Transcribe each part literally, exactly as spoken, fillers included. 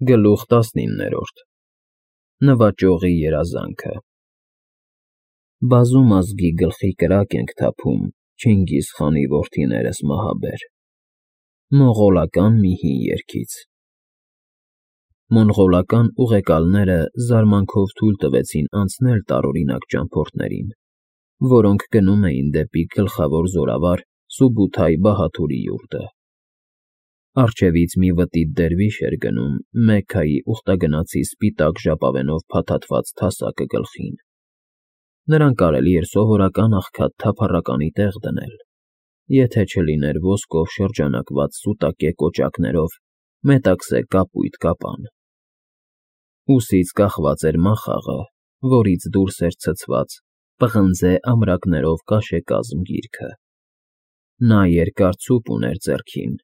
Գլուխ տասնիններորդ Նվաճողի երազանքը Բազում ազգի գլխի կրակ ենք թափում, Չինգիզ խանի որդիներս մահաբեր, մոնղոլական մի հին երգից։ Մոնղոլական ուղեկալները զարմանքով թույլ տվեցին անցնել տարօրինակ ճամփորդներին, որոնք գնում էին դեպի գլխավոր զորավար Սուբութայ Բահաթուրի յուրտը։ Առջևից մի վտիտ դերվիշ էր գնում Մեքքայի ուխտագնացի սպիտակ ժապավենով փաթաթված թասակը գլխին։ Նրան կարելի էր սովորական աղքատ թափառականի տեղ դնել, եթե չլիներ ոսկով շրջանակված սուտակե կոճակներով մետաքսե կապույտ կապան։ Ուսից կախված էր մախաղը, որից դուրս էր ցցված պղնձե ամրակներով կաշեկազմ գիրքը։ Նա երկար ցուպ ուներ ձեռքին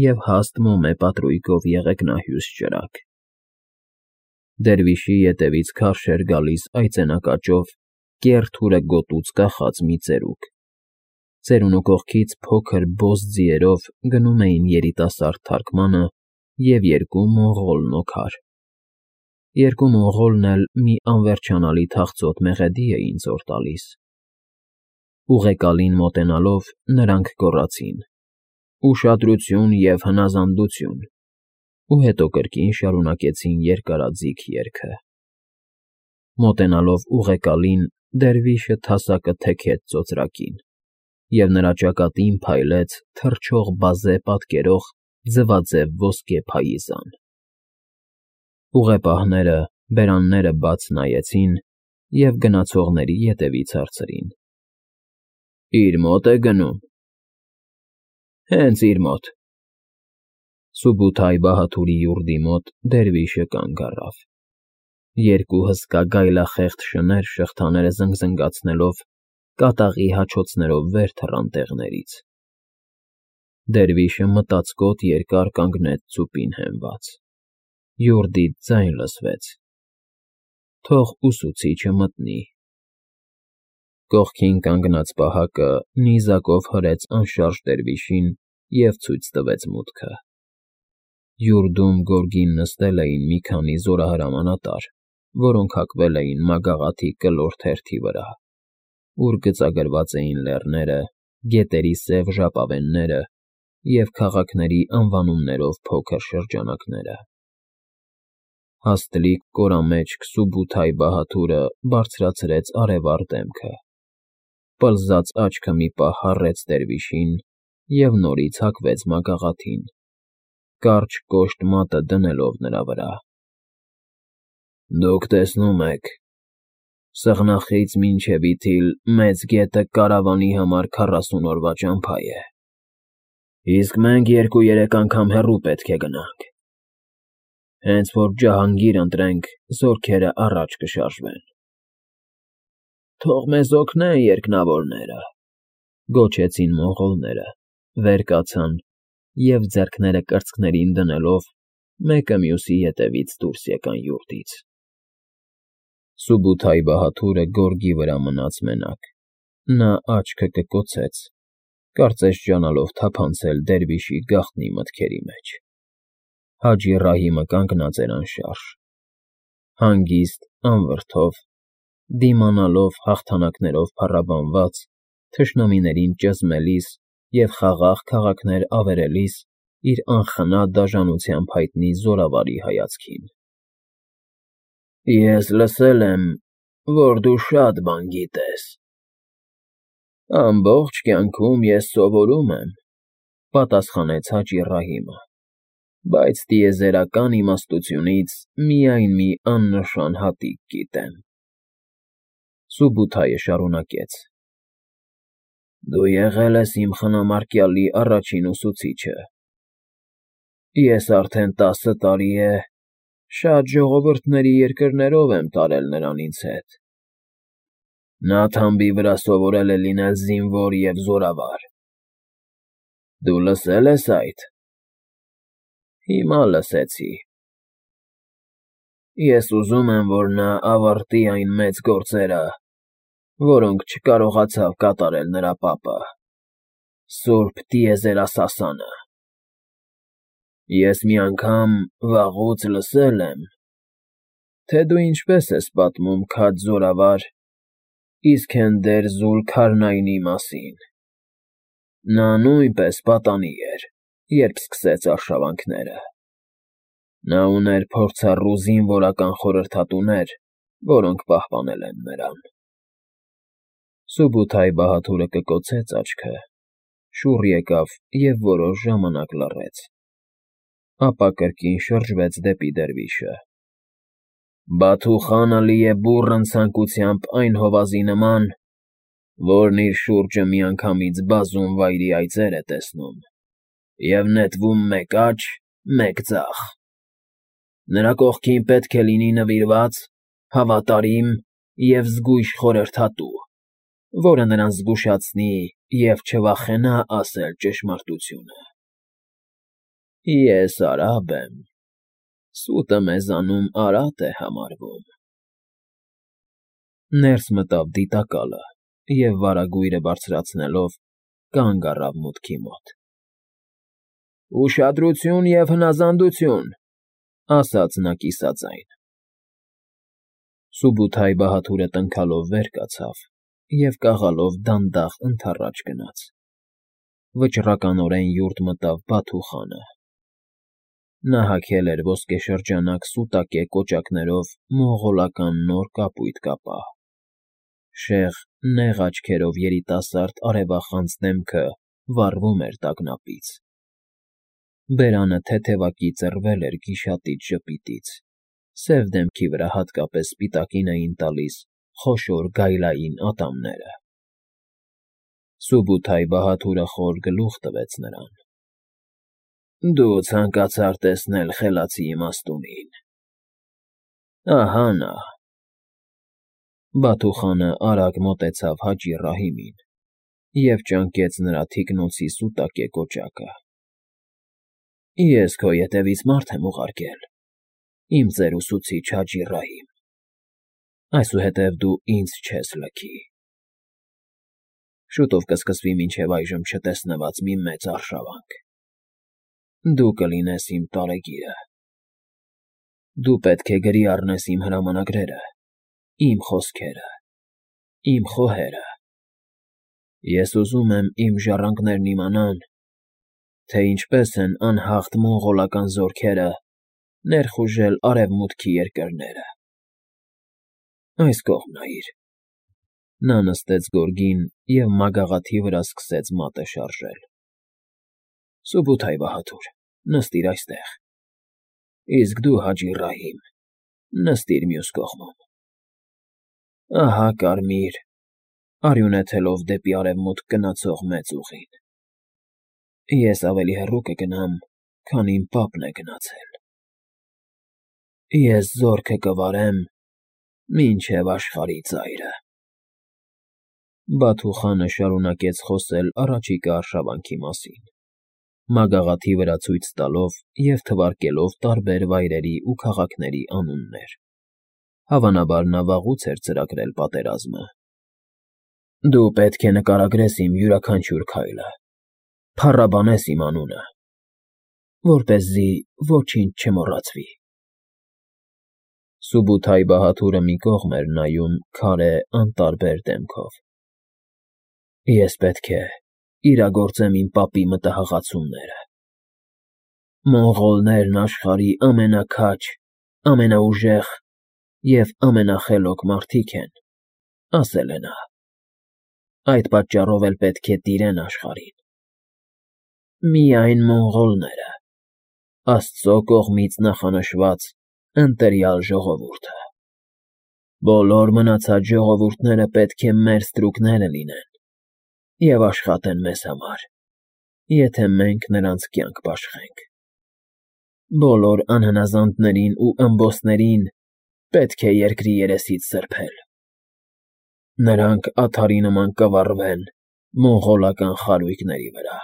և հաստ մոմե պատրույգով եղեգնահյուս ճրագ։ Դերվիշի ետևից քարշ էր գալիս այծենակաճով, կեռ թուրը գոտուց կախած մի ծերուկ։ Ծերունու կողքից փոքր բոզ ձիերով գնում էին երիտասարդ թարքմանը և երկու մոնղոլ նոքար։ Երկու մոնղոլն էլ մի անվերջանալի թախծոտ մեղեդի էին զոր տալիս։ Ուղեկալին մոտենալով՝ նրանք գոռացին. «Ուշադրություն և հնազանդություն», ու հետո կրկին շարունակեցին երկարաձիգ երգը։ Մոտենալով ուղեկալին՝ դերվիշը թասակը թեքեց ծոծրակին, և նրա ճակատին փայլեց թռչող բազե պատկերող ձվաձև ոսկե փայիզան։ Ուղեպահները բերանները բաց նայեցին և գնացողների ետևից հարցրին. «Իր մո՞տ է գնում»։ «Հենց իր մոտ»։ Սուբութայ Բահաթուրի յուրտի մոտ դերվիշը կանգ առավ։ Երկու հսկա գայլախեղդ շներ շղթաները զնգզնգացնելով կատաղի հաչոցներով վեր թռան տեղներից։ Դերվիշը մտածկոտ երկար կանգնեց ծուպին հենված։ Յուրտից ձայն լսվեց. «Թող ուսուցիչը մտնի»։ Կողքին կանգնած պահակը նիզակով հրեց անշարժ դերվիշին և ցույց տվեց մուտքը։ Յուրտում գորգին նստել էին մի քանի զորահրամանատար, որոնք հակվել էին մագաղաթի կլոր թերթի վրա, ուր գծագրված էին լեռները, գետերի սև ժապավենները և քաղաքների անվանումներով փոքր շրջանակները։ Հաստլիկ կորամեջք Սուբութայ Բահաթուրը բարձրացրեց արևառ դեմքը, պլզած աչքը մի պահ հառեց դերվիշին և նորից հակվեց մագաղաթին, կարճ կոշտ մատը դնելով նրա վրա։ «Դուք տեսնում եք, սığնախից մինչև Իթիլ մեծ գետը կարավանի համար քառասուն օրվա ճամփա է, իսկ մենք երկու֊երեք անգամ հեռու պետք է գնանք։ Հենց որ ջահանգիր ընտրենք, զորքերը առաջ կշարժվեն»։ «Թող մեզ օգնեն երկնավորները», գոչեցին մոնղոլները, վեր կացան և, ձեռքները կրծքներին դնելով, մեկը մյուսի ետևից դուրս եկան յուրտից։ Սուբութայ Բահաթուրը գորգի վրա մնաց մենակ։ Նա աչքը կկոցեց, կարծես ջանալով թափանցել դերվիշի գաղտնի մտքերի մեջ։ Հաջի Ռահիմը կանգնած էր անշարժ, հանգիստ, անվրդով, դիմանալով հաղթանակներով փառաբանված, թշնամիներին ճզմելիս և խաղաղ քաղաքներ ավերելիս իր անխնա դաժանությամբ հայտնի զորավարի հայացքին։ «Ես լսել եմ, որ դու շատ բան գիտես»։ «Ամբողջ կյանքում ես սովորում եմ», պատասխանեց Հաջի Ռահիմը, «բայց տիեզերական իմաստությունից միայն մի աննշան հատիկ գիտեմ»։ Սուբութայը շարունակեց. «Դու եղել ես իմ խնամարկյալի առաջին ուսուցիչը։ Ես արդեն տասը տարի է շատ ժողովուրդների երկրներով եմ տարել նրան ինձ հետ։ Նա թամբի վրա սովորել է լինել զինվոր և զորավար։ Դու լսե՞լ ես այդ»։ «Հիմա լսեցի»։ «Ես ուզում եմ, որ նա ավարտի այն մեծ գործերը, որոնք չկարողացավ կատարել նրա պապը՝ Սուրբ տիեզերասասանը»։ Ես մի անգամ վաղուց լսել եմ, թե դու ինչպես ես պատմում քաջ զորավար Իսքենդեր Զուլքարնայնի մասին. նա նույնպես պատանի էր, երբ սկսեց արշավանքները. նա ուներ փորձառու զինվորական խորհրդատուներ, որոնք պահպանել են նրան… Սուբութայի բահաթուրը կկոցեց աչքը, շուռ եկավ և որոշ ժամանակ լռեց, ապա կրկին շրջվեց դեպի դերվիշը. Բաթու խանը լի է բուռն ցանկությամբ այն հովազի նման, որն իր շուրջը միանգամից բազում վայրի այծեր է տեսնում և նետվում մեկ աջ, մեկ ձախ. նրա կողքին պետք է լինի նվիրված, հավատարիմ և զգույշ խորհրդատու, որը նրան զգուշացնի և չվախենա ասել ճշմարտությունը… Ես արաբ եմ, սուտը մեզանում արատ է համարվում… Ներս մտավ դիտակալը և վարագույրը բարձրացնելով, կանգ առավ մուտքի մոտ։ ֊ Ուշադրություն և հնազանդություն,֊ ասաց նա կիսաձայն։ Սուբութայի բահաթուրը տնքալով վեր կացավ և կաղալով դանդաղ ընդառաջ գնաց… Վճռականորեն յուրտ մտավ Բաթու խանը. նա հագել էր ոսկեշրջանակ սուտակե կոճակներով մոնղոլական նոր կապույտ կապա, շեղ, նեղ աչքերով երիտասարդ արևախանձ դեմքը վառվում էր տագնապից, բերանը թեթևակի ծռվել էր գիշատիչ ժպիտից, սև դեմքի վրա հատկապես սպիտակին էին տալիս խոշոր գայլային ատամները… Սուբութայի բահաթուրը խոր գլուխ տվեց նրան. ֊ Դու ցանկացար տեսնել խելացի իմաստունին… ահա նա… Բաթու խանը արագ մոտեցավ Հաջի Ռահիմին և ճանկեց նրա թիկնոցի սուտակե կոճակը։ ֊ Ես քո ետևից մարդ եմ ուղարկել, իմ ծեր ուսուցիչ Հաջի Ռահիմ, այսուհետև դու ինձ չես լքի… Շուտով կսկսվի մինչև այժմ չտեսնված մի մեծ արշավանք… Դու կլինես իմ տարեգիրը… Դու պետք է գրի առնես իմ հրամանագրերը, իմ խոսքերը, իմ խոհերը… Ես ուզում եմ իմ ժառանգներն իմանան, թե ինչպես են անհաղթ մոնղոլական զորքերը ներխուժել Արևմուտքի երկրները… Այս կողմ նայիր… Նա նստեց գորգին և մագաղաթի վրա սկսեց մատը շարժել… Սուբութայի բահաթուր, նստիր այստեղ, իսկ դու, Հաջի Ռահիմ, նստիր մյուս կողմում… Ահա կարմիր, արյուն եթելով դեպի արևմուտք գնացող մեծ ուղին… Ես ավելի հեռու կգնամ, քան իմ պապն է գնացել… Ես զորքը կվարեմ մինչև աշխարհի ծայրը… Բաթու խանը շարունակեց խոսել առաջիկա արշավանքի մասին, մագաղաթի վրա ցույց տալով և թվարկելով տարբեր վայրերի ու քաղաքների անուններ… Հավանաբար նա վաղուց էր ծրագրել պատերազմը… Դու պետք է նկարագրես իմ յուրաքանչյուր քայլը, փառաբանես իմ անունը, որպեսզի ոչինչ չմոռացվի… Սուբութայի բահաթուրը մի կողմ էր նայում քարե անտարբեր դեմքով… Ես պետք է իրագործեմ իմ պապի մտահղացումները… Մոնղոլներն աշխարհի ամենաքաջ, ամենաուժեղ և ամենախելոք մարդիկ են, ասել է նա… Այդ պատճառով էլ պետք է տիրեն աշխարհին… Միայն մոնղոլները, Աստծո կողմից նախանշված ընտրյալ ժողովուրդը… Բոլոր մնացած ժողովուրդները պետք է մեր ստրուկները լինեն և աշխատեն մեզ համար, եթե մենք նրանց կյանք բաշխենք… Բոլոր անհնազանդներին ու ըմբոստներին պետք է երկրի երեսից սրբել… Նրանք ադարի նման կվառվեն մոնղոլական խարույկների վրա…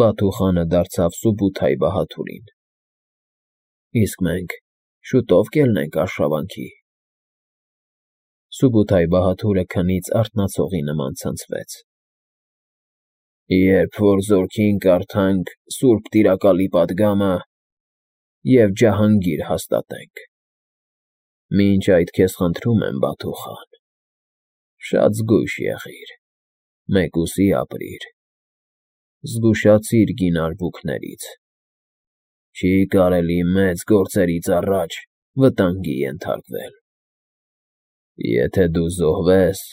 Բաթու խանը դարձավ Սուբութայի բահաթուրին. ֊ Իսկ մենք շուտո՞վ կելնենք արշավանքի… Սուբութայի բահաթուրը քնից արթնացողի նման ցնցվեց… Երբ որ զորքին կարդանք Սուրբ Տիրակալի պատգամը և ջահանգիր հաստատենք, մինչ այդ քեզ խնդրում եմ, Բաթու խան, շատ զգույշ եղիր, մեկուսի ապրիր, զգուշացիր գին արբուքներից, չի կարելի մեծ գործերից առաջ վտանգի ենթարկվել, եթե դու զոհվես,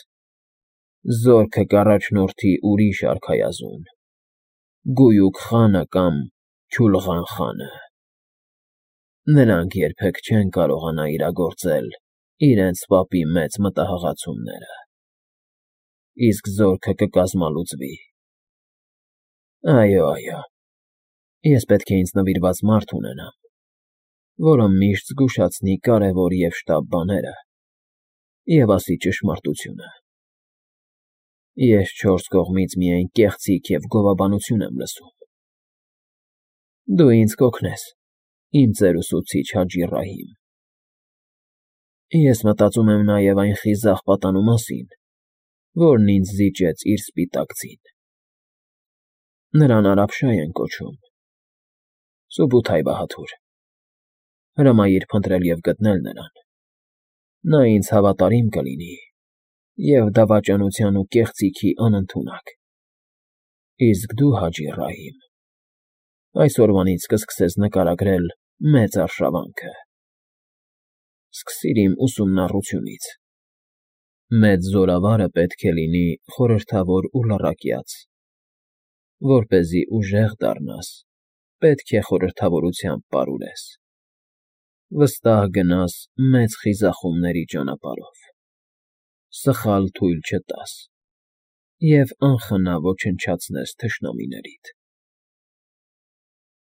զորքը կառաջնորդի ուրիշ արքայազուն, Գույուք խանը կամ Քյուլղան խանը, նրանք երբեք չեն կարողանա իրագործել իրենց պապի մեծ մտահղացումները, իսկ զորքը կկազմալուծվի, այո, այո, ես պետք է ինձ նվիրված մարդ ունենամ, որը միշտ զգուշացնի կարևոր և շտապ բաները և ասի ճշմարտությունը, ես չորս կողմից միայն կեղծիք և գովաբանություն եմ լսում, դու ինձ կօգնես, իմ ծեր ուսուցիչ Հաջի Ռահիմ, ես մտածում եմ նաև այն խիզախ պատանու մասին, որն ինձ զիջեց իր սպիտակ ձին, նրան Արաբշա են կոչում, Սուբութայ Բահադուր, հրամայիր փնտրել և գտնել նրան, նա ինձ հավատարիմ կլինի և դավաճանության ու կեղծիքի անընդունակ, իսկ դու, Հաջի Ռահիմ, այսօրվանից կսկսես նկարագրել մեծ արշավանքը, սկսիր իմ ուսումնառությունից, մեծ զորավարը պետք է լինի խորհրդավոր ու լռակյաց, որպեսզի ուժեղ դառնաս, պետք է խորհրդավորությամբ պարուրես, վստահ գնաս մեծ խիզախումների ճանապարհով, սխալ թույլ չտաս և անխնա ոչնչացնես թշնամիներիդ։